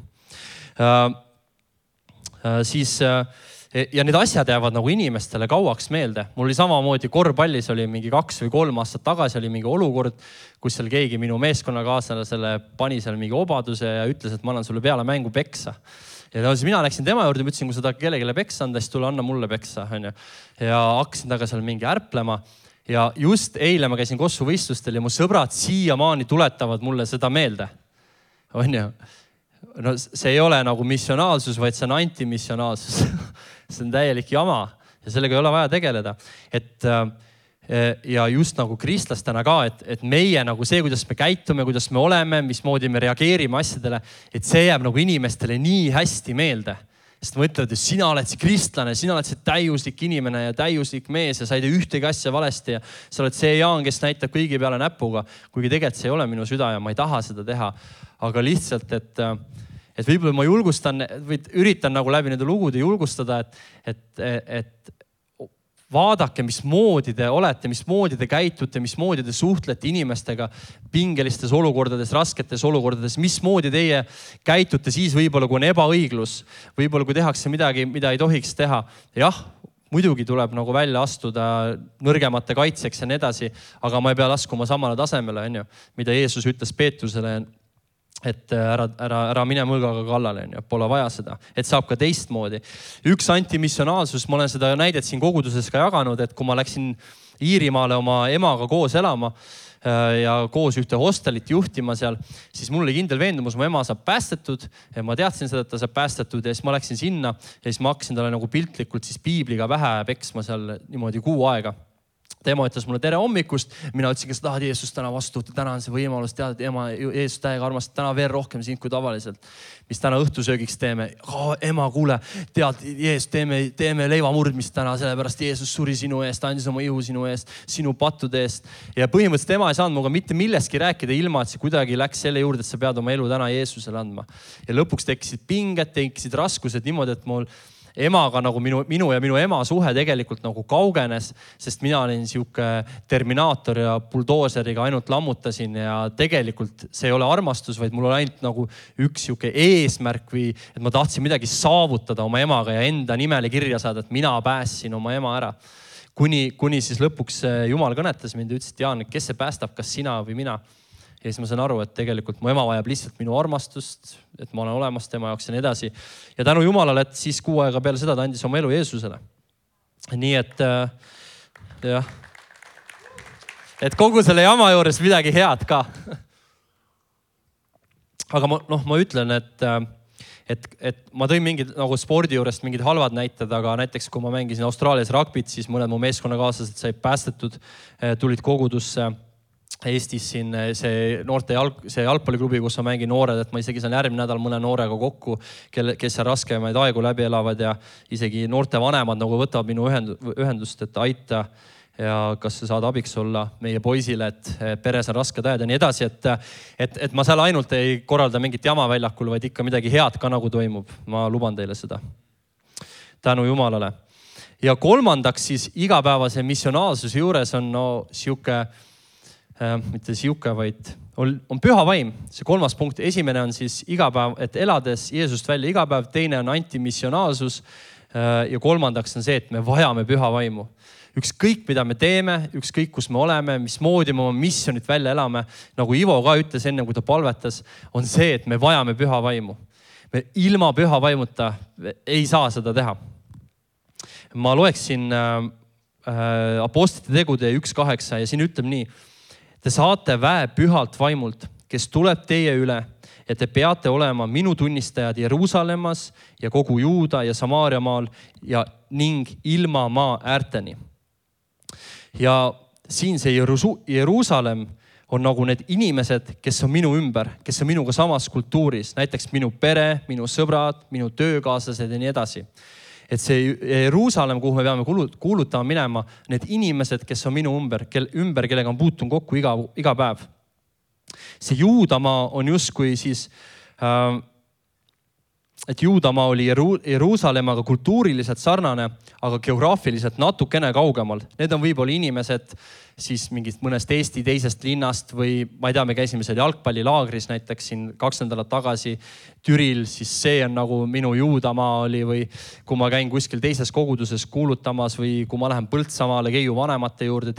Ja need asjad jäävad nagu inimestele kauaks meelde. Mul oli samamoodi korvpallis oli mingi 2 või 3 aastat tagasi oli mingi olukord, kus seal keegi minu meeskonnakaaslasele pani seal mingi obaduse ja ütles, et ma annan sulle peale mängu peksa. Ja siis mina läksin tema juurde, ütlesin, kui sa tahad kellegile peksa anda, siis tule anna mulle peksa. Ja hakkasin taga seal mingi ärplema. Ja just eile ma käisin Kossu võistlustel ja mu sõbrad siiamaani tuletavad mulle seda meelde. No see ei ole nagu missionaalsus, vaid see on antimissionaalsus. See on täielik jama ja sellega ei ole vaja tegeleda. Ja just nagu kristlastena ka, et meie nagu see, kuidas me käitume, kuidas me oleme, mismoodi me reageerime asjadele, et see jääb nagu inimestele nii hästi meelde. Sest ma ütlen, et sina oled see kristlane, sina oled see täiuslik inimene ja täiuslik mees ja sa ei tee ühtegi asja valesti ja sa oled see Jaan, kes näitab kõigi peale näpuga, kuigi tegelikult see ei ole minu süda ja ma ei taha seda teha. Aga lihtsalt, et võib-olla ma julgustan või üritan nagu läbi nende lugude julgustada, et vaadake, mismoodi te olete, mismoodi te käitute, mismoodi te suhtlete inimestega pingelistes olukordades, rasketes olukordades, mismoodi teie käitute siis võib-olla, kui on ebaõiglus, võib-olla kui tehakse midagi, mida ei tohiks teha. Jah, muidugi tuleb nagu välja astuda nõrgemate kaitseks ja nii edasi, aga ma ei pea laskuma samale tasemele, mida Jeesus ütles Peetrusele, et ära mine mõlgaga kallale, pole vaja seda, et saab ka teistmoodi. Üks antimissionaalsus, ma olen seda näidet siin koguduses ka jaganud, et kui ma läksin Iirimaale oma emaga koos elama ja koos ühte hostelit juhtima seal, siis mul oli kindel veendumus, mu ema saab päästetud ja ma teadsin seda, et ta saab päästetud ja siis ma läksin sinna ja siis ma hakkasin talle nagu piltlikult siis piibliga pähe peksma seal niimoodi 6 aega. Tema ütles mulle tere hommikust. Mina ütlesin, kas tahad Jeesus täna vastu, täna on see võimalus, tead, ema Jeesus täiega armastab, täna veel rohkem sind kui tavaliselt. Mis täna õhtusöögiks teeme? Ema, kuule, tead, Jeesus, teeme leivamurdmist täna, sellepärast Jeesus suri sinu eest, andis oma ihu sinu eest, sinu pattude eest. Ja põhimõtteliselt ema ei saanud muga mitte millestki rääkida ilma, et see kuidagi läks selle juurde, et sa pead oma elu täna Jeesusele andma. Ja lõpuks tekkisid pinged, tekkisid raskused niimoodi, et mul emaga nagu minu ja minu ema suhe tegelikult nagu kaugenes, sest mina olin siuke terminaator ja buldooseriga ainult lammutasin ja tegelikult see ei ole armastus, vaid mul oli ainult nagu üks siuke eesmärk või et ma tahtsin midagi saavutada oma emaga ja enda nimele kirja saada, et mina päästsin oma ema ära. Kuni siis lõpuks Jumal kõnetas mind ja ütles, et Jaan, kes see päästab, kas sina või mina? Ja siis ma sain aru, et tegelikult mu ema vajab lihtsalt minu armastust, et ma olen olemas tema jaoks ja nii edasi. Ja tänu Jumalale, et siis 6 aega peale seda ta andis oma elu Jeesusele. Nii et jah. Et kogu selle jama juures midagi head ka. Aga ma ütlen, et ma tõin mingid nagu spordi juurest mingid halvad näited, aga näiteks kui ma mängisin Austraalias rugbit, siis mõned mu meeskonnakaaslased said päästetud, tulid kogudusse. Eestis siin see noorte jalgpalliklubi, kus ma mängin noored, et ma isegi saan järgmine nädal mõne noorega kokku, kes seal raskemaid aegu läbi elavad ja isegi noorte vanemad nagu võtavad minu ühendust, et aita ja kas sa saad abiks olla meie poisile, et peres on rasked ajad ja nii edasi, et ma seal ainult ei korralda mingit jama väljakul, vaid ikka midagi head ka nagu toimub. Ma luban teile seda. Tänu Jumalale. Ja kolmandaks siis igapäevase missionaalsuse juures on mitte siuke, vaid on püha vaim. See 3. punkt. Esimene on siis igapäev, et elades Jeesust välja igapäev. Teine on antimissionaalsus. Ja kolmandaks on see, et me vajame püha vaimu. Ükskõik, mida me teeme, ükskõik, kus me oleme, mismoodi me oma missionit välja elame, nagu Ivo ka ütles enne, kui ta palvetas, on see, et me vajame püha vaimu. Me ilma püha vaimuta ei saa seda teha. Ma loeksin Apostlite tegude 1.8 ja siin ütleb nii. Te saate väe pühalt vaimult, kes tuleb teie üle ja te peate olema minu tunnistajad Jeruusalemmas ja kogu Juuda ja Samaaria maal ja ning ilma maa äärteni. Ja siin see Jeruusalemm on nagu need inimesed, kes on minu ümber, kes on minuga samas kultuuris, näiteks minu pere, minu sõbrad, minu töökaaslased ja nii edasi. Et see Jeruusalemm, kuhu me peame kuulutama minema, need inimesed, kes on minu ümber, kellega on puutun kokku iga päev. see Juudamaa on justkui siis, et Juudamaa oli Jeruusalemmaga kultuuriliselt sarnane, aga geograafiliselt natukene kaugemal. Need on võib-olla inimesed siis mingist mõnest Eesti teisest linnast või ma ei tea, me käisime seal jalgpallilaagris näiteks siin 2 nädalat tagasi Türil, siis see on nagu minu Juudamaa oli, või kui ma käin kuskil teises koguduses kuulutamas või kui ma lähen Põltsamaale Keiu vanemate juurde,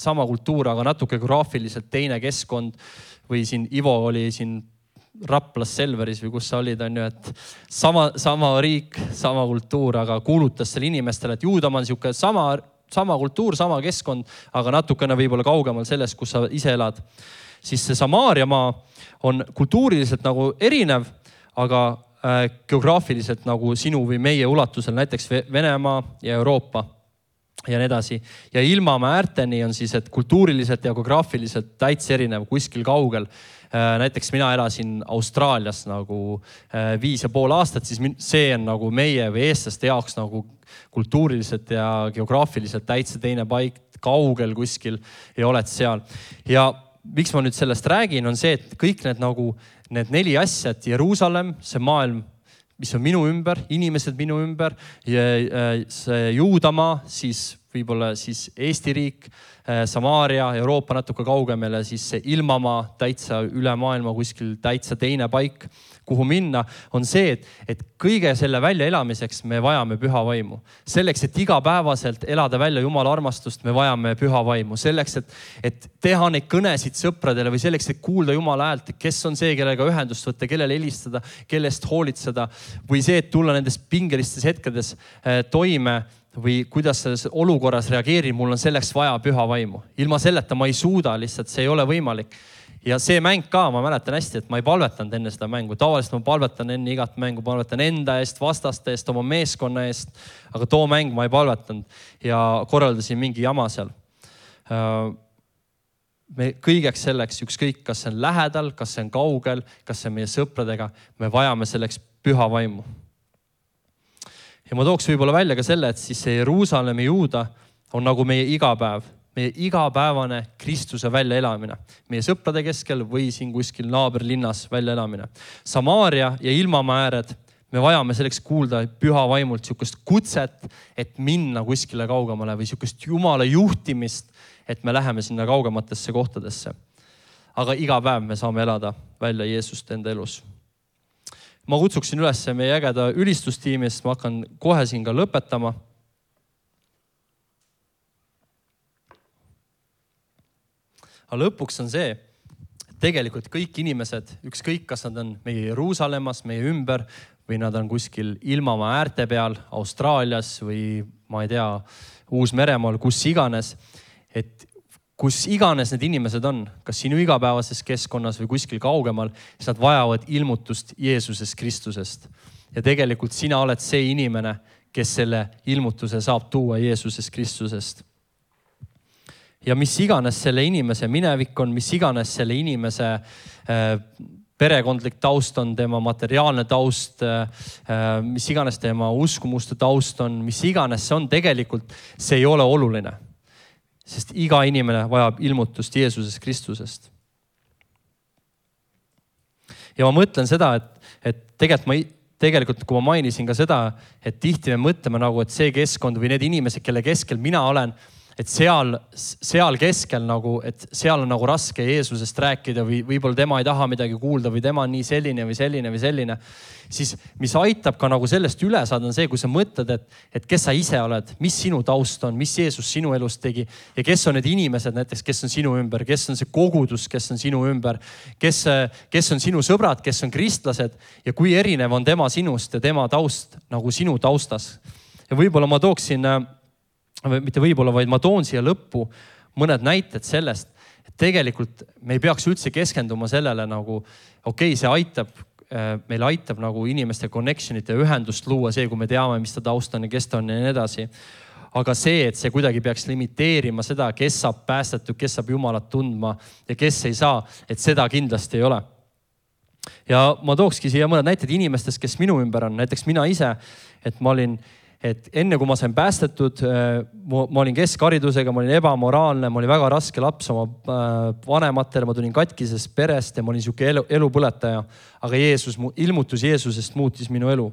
sama kultuur, aga natuke geograafiliselt teine keskkond, või siin Ivo oli siin Raplas Selveris või kus sa olid, on ju, et sama riik, sama kultuur, aga kuulutas selle inimestele, et Juudamaa on sihuke sama kultuur, sama keskkond, aga natukene võib-olla kaugemal sellest, kus sa ise elad. Siis see Samaariamaa on kultuuriliselt nagu erinev, aga geograafiliselt nagu sinu või meie ulatusel, näiteks Venemaa ja Euroopa ja nii edasi. Ja ilmamaa äärteni on siis, et kultuuriliselt ja geograafiliselt täitsa erinev, kuskil kaugel. Näiteks mina elasin Austraalias nagu 5,5 aastat, siis see on nagu meie või eestlaste jaoks nagu kultuuriliselt ja geograafiliselt täitsa teine paik, kaugel kuskil ja oled seal. Ja miks ma nüüd sellest räägin, on see, et kõik need 4 asja, et Jeruusalemm, see maailm, mis on minu ümber, inimesed minu ümber, see Juudamaa, siis võib-olla siis Eesti riik, Samaaria, Euroopa natuke kaugemale, siis see ilmamaa täitsa üle maailma kuskil täitsa teine paik, kuhu minna, on see, et kõige selle välja elamiseks me vajame püha vaimu. Selleks, et igapäevaselt elada välja Jumala armastust, me vajame püha vaimu. Selleks, et teha neid kõnesid sõpradele või selleks, et kuulda Jumala häält, kes on see, kellega ühendust võtta, kellele helistada, kellest hoolitseda või see, et tulla nendes pingelistes hetkedes toime või kuidas selles olukorras reageerib, mul on selleks vaja püha vaimu. Ilma selleta ma ei suuda lihtsalt, see ei ole võimalik. Ja see mäng ka, ma mäletan hästi, et ma ei palvetanud enne seda mängu. Tavaliselt ma palvetan enne igat mängu, palvetan enda eest, vastaste eest, oma meeskonna eest, aga too mäng ma ei palvetanud ja korraldasin mingi jama seal. Me kõigeks selleks, ükskõik, kas see on lähedal, kas see on kaugel, kas see on meie sõpradega, me vajame selleks püha vaimu. Ja ma tooks võib-olla välja ka selle, et siis see Jeruusalemmi Juuda on nagu meie igapäev, meie igapäevane Kristuse väljaelamine. Meie sõprade keskel või siin kuskil naaberlinnas väljaelamine. Samaaria ja ilmamaa ääred, me vajame selleks kuulda püha vaimult sihukest kutset, et minna kuskile kaugemale või sihukest Jumala juhtimist, et me läheme sinna kaugematesse kohtadesse. Aga iga päev me saame elada välja Jeesust enda elus. Ma kutsuksin üles meie ägeda ülistustiimist, ma hakkan kohe siin ka lõpetama. Aga lõpuks on see, et tegelikult kõik inimesed, ükskõik kas nad on meie Jeruusalemmas, meie ümber või nad on kuskil ilmamaa äärte peal, Austraalias või ma ei tea, Uus-Meremaal, kus iganes, et kus iganes need inimesed on, kas sinu igapäevases keskkonnas või kuskil kaugemal, siis nad vajavad ilmutust Jeesusest Kristusest. Ja tegelikult sina oled see inimene, kes selle ilmutuse saab tuua Jeesusest Kristusest. Ja mis iganes selle inimese minevik on, mis iganes selle inimese perekondlik taust on, tema materiaalne taust, mis iganes tema uskumuste taust on, mis iganes see on, tegelikult see ei ole oluline. Sest iga inimene vajab ilmutust Jeesusest Kristusest. Ja ma mõtlen seda, et tegelikult kui ma mainisin ka seda, et tihti me mõtleme nagu, et see keskkond või need inimesed, kelle keskel mina olen, et seal keskel nagu, et seal on nagu raske Jeesusest rääkida või võib-olla tema ei taha midagi kuulda või tema on nii selline või selline või selline. Siis mis aitab ka nagu sellest üle saada on see, kui sa mõtled, et kes sa ise oled, mis sinu taust on, mis Jeesus sinu elus tegi ja kes on need inimesed näiteks, kes on sinu ümber, kes on see kogudus, kes on sinu ümber, kes on sinu sõbrad, kes on kristlased ja kui erinev on tema sinust ja tema taust nagu sinu taustas. Ja võib-olla ma tooksin mitte võib-olla, vaid ma toon siia lõppu mõned näited sellest, et tegelikult me ei peaks üldse keskenduma sellele nagu, see aitab, meil aitab nagu inimeste connectionit ja ühendust luua see, kui me teame, mis ta taust on ja kes ta on ja nii edasi. Aga see, et see kuidagi peaks limiteerima seda, kes saab päästetud, kes saab Jumalat tundma ja kes ei saa, et seda kindlasti ei ole. Ja ma tookski siia mõned näited inimestest, kes minu ümber on. Näiteks mina ise, et ma olin et enne kui ma sain päästetud, ma olin keskharidusega, ma olin ebamoraalne, ma olin väga raske laps oma vanematele, ma tulin katkisest perest ja ma olin siuke elupõletaja. Aga ilmutus Jeesusest muutis minu elu.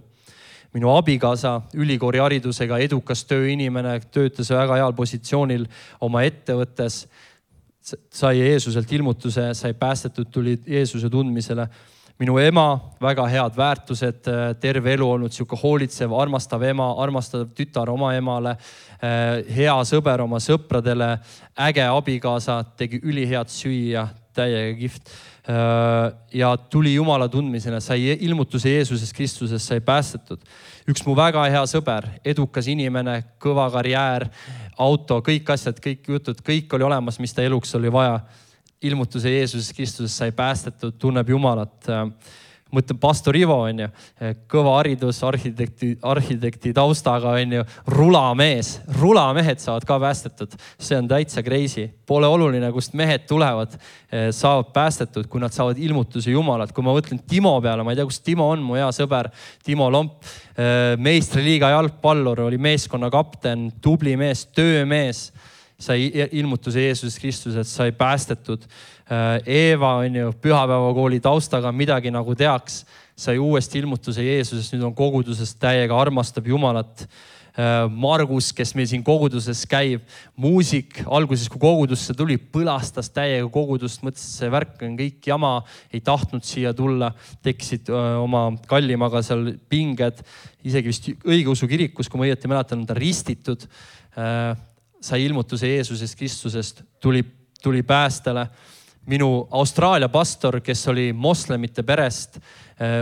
Minu abikaasa, ülikooli haridusega, edukas tööinimene, töötas väga heal positsioonil oma ettevõttes, sai Jeesuselt ilmutuse, sai päästetud, tuli Jeesuse tundmisele. Minu ema, väga head väärtused, terve elu olnud siuke hoolitsev, armastav ema, armastav tütar oma emale, hea sõber oma sõpradele, äge abikaasa, tegi ülihead süüa, täiega kihvt. Ja tuli Jumala tundmisele, sai ilmutuse Jeesusest Kristusest, sai päästetud. Üks mu väga hea sõber, edukas inimene, kõva karjäär, auto, kõik asjad, kõik jutud, kõik oli olemas, mis ta eluks oli vaja. Ilmutuse Jeesusest Kristusest sai päästetud, tunneb Jumalat. Mõtlen pastor Ivo, kõva haridus, arhitekti taustaga, rulamehed saavad ka päästetud. See on täitsa crazy. Pole oluline, kust mehed tulevad, saavad päästetud, kui nad saavad ilmutuse Jumalat. Kui ma mõtlen Timo peale, ma ei tea, kus Timo on, mu hea sõber, Timo Lomp, meistriliiga jalgpallur, oli meeskonna kapten, tubli mees, töömees. Sai ilmutuse Jeesusest Kristusest, sai päästetud. Eeva pühapäevakooli taustaga midagi nagu teaks, sai uuesti ilmutuse Jeesusest, nüüd on kogudusest täiega, armastab Jumalat. Margus, kes meil siin koguduses käib, muusik, alguses kui kogudusse tuli, põlastas täiega kogudust, mõtles, et see värk on kõik jama, ei tahtnud siia tulla, tekkisid oma kallimaga seal pinged, isegi vist õigeusu kirikus, kui ma õieti mäletan, on ta ristitud. Sai ilmutuse Jeesusest Kristusest, tuli päästele. Minu Austraalia pastor, kes oli moslemite perest,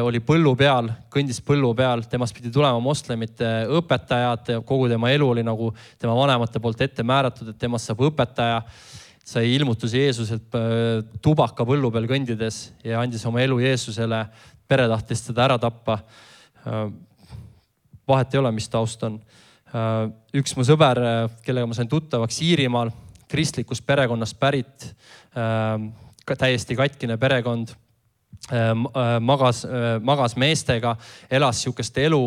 oli põllu peal, kõndis põllu peal, temast pidi tulema moslemite õpetajad, kogu tema elu oli nagu tema vanemate poolt ette määratud, et temast saab õpetaja. Sai ilmutuse Jeesuselt tubaka põllu peal kõndides ja andis oma elu Jeesusele, pere tahtis teda ära tappa. Vahet ei ole, mis taust on. Üks mu sõber, kellega ma sain tuttavaks Iirimaal, kristlikust perekonnast pärit, täiesti katkine perekond, magas meestega, elas siukest elu,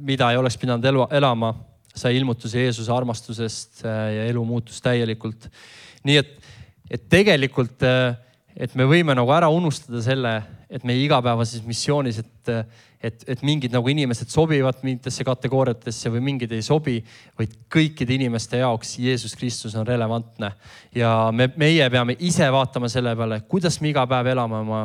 mida ei oleks pidanud elama, sai ilmutuse Jeesuse armastusest ja elu muutus täielikult. Nii et tegelikult, et me võime nagu ära unustada selle, et meie igapäevases missioonis, et mingid nagu inimesed sobivad mingitesse kategooriatesse või mingid ei sobi, vaid kõikide inimeste jaoks Jeesus Kristus on relevantne. Ja meie peame ise vaatama selle peale, kuidas me iga päev elame oma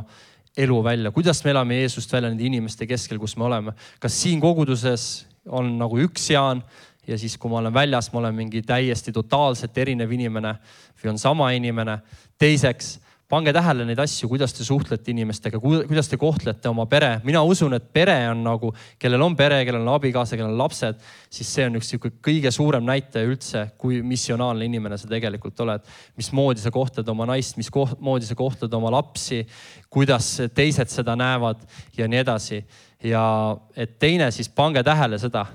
elu välja, kuidas me elame Jeesust välja nende inimeste keskel, kus me oleme. Kas siin koguduses on nagu üks Jaan ja siis, kui ma olen väljas, ma olen mingi täiesti totaalselt erinev inimene või on sama inimene. Teiseks, pange tähele neid asju, kuidas te suhtlete inimestega, kuidas te kohtlete oma pere. Mina usun, et pere on nagu, kellel on pere, kellel on abikaasa, kellel on lapsed, siis see on üks kõige suurem näitaja üldse, kui missionaalne inimene sa tegelikult oled. Mismoodi sa kohtled oma naist, mismoodi sa kohtled oma lapsi, kuidas teised seda näevad ja nii edasi. Ja et teine, siis pange tähele seda,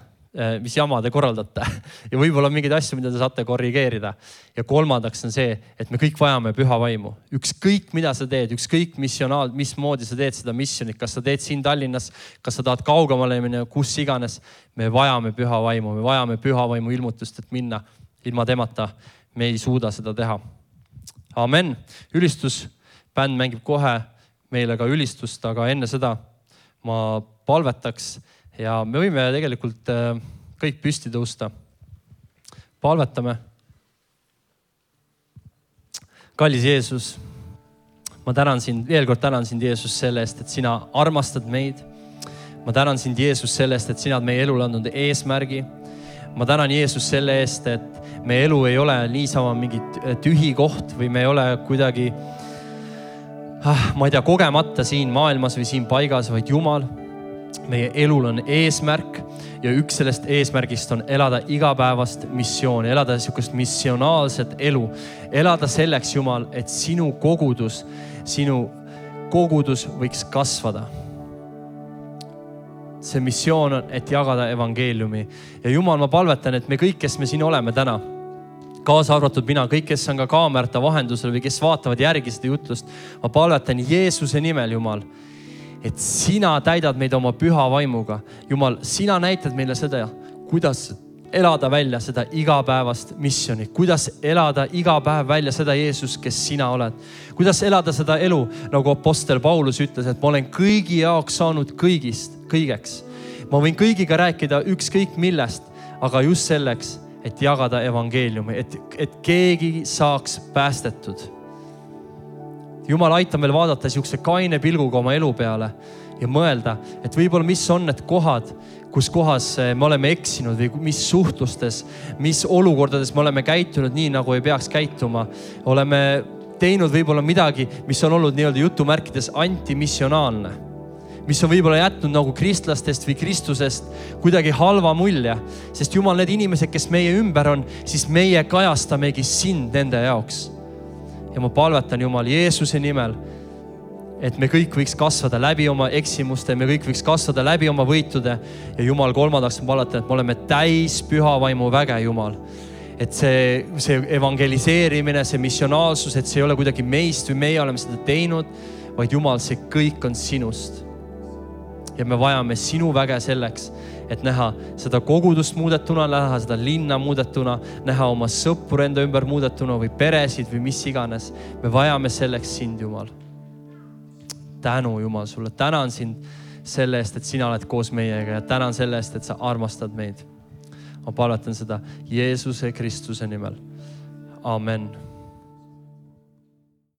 mis jama te korraldate ja võib-olla mingeid asju, mida te saate korrigeerida. Ja kolmandaks on see, et me kõik vajame püha vaimu. Ükskõik, mida sa teed, ükskõik mismoodi sa teed seda missionit, kas sa teed siin Tallinnas, kas sa tahad kaugemale minna, kus iganes, me vajame püha vaimu, me vajame püha vaimu ilmutust, et minna ilma temata. Me ei suuda seda teha. Amen. Ülistus. Bänd mängib kohe meile ka ülistust, aga enne seda ma palvetaks. Ja me võime tegelikult kõik püsti tõusta. Palvetame. Kallis Jeesus, ma veel kord tänan sind, Jeesus, selle eest, et sina armastad meid. Ma tänan sind, Jeesus, selle eest, et sina oled meie elul andnud eesmärgi. Ma tänan, Jeesus, selle eest, et meie elu ei ole niisama mingi tühi koht või me ei ole kuidagi, ma ei tea, kogemata siin maailmas või siin paigas, vaid Jumal. Meie elul on eesmärk ja üks sellest eesmärgist on elada igapäevast missiooni, elada niisugust missionaalset elu. Elada selleks, Jumal, et sinu kogudus võiks kasvada. See missioon on, et jagada evangeeliumi. Ja Jumal, ma palvetan, et me kõik, kes me siin oleme täna, kaasa arvatud mina, kõik, kes on ka kaamerate vahendusel või kes vaatavad järgi seda jutlust, ma palvetan Jeesuse nimel, Jumal, et sina täidad meid oma püha vaimuga. Jumal, sina näitad meile seda, kuidas elada välja seda igapäevast missioni, kuidas elada iga päev välja seda Jeesus, kes sina oled. Kuidas elada seda elu, nagu apostel Paulus ütles, et ma olen kõigi jaoks saanud kõigeks. Ma võin kõigiga rääkida ükskõik millest, aga just selleks, et jagada evangeeliumi, et keegi saaks päästetud. Jumal aitab meil vaadata siukse kaine pilguga oma elu peale ja mõelda, et võib-olla mis on need kohad, kus kohas me oleme eksinud või mis suhtlustes, mis olukordades me oleme käitunud nii, nagu ei peaks käituma. Oleme teinud võib-olla midagi, mis on olnud nii-öelda jutumärkides antimissionaalne, mis on võib-olla jätnud nagu kristlastest või Kristusest kuidagi halva mulje, sest Jumal, need inimesed, kes meie ümber on, siis meie kajastamegi sind nende jaoks. Ja ma palvetan Jumal Jeesuse nimel, et me kõik võiks kasvada läbi oma eksimuste, me kõik võiks kasvada läbi oma võitude ja Jumal, kolmandaks ma palvetan, et me oleme täis püha vaimu väge, Jumal. Et see evangeliseerimine, see missionaalsus, et see ei ole kuidagi meist või meie oleme seda teinud, vaid Jumal, see kõik on sinust. Ja me vajame sinu väge selleks, et näha seda kogudust muudetuna, näha seda linna muudetuna, näha oma sõppur enda ümber muudetuna või peresid või mis iganes. Me vajame selleks sind, Jumal. Tänu, Jumal, sulle. Tänan sind selle eest, et sina oled koos meiega ja tänan selle eest, et sa armastad meid. Ma palvetan seda Jeesuse Kristuse nimel. Amen.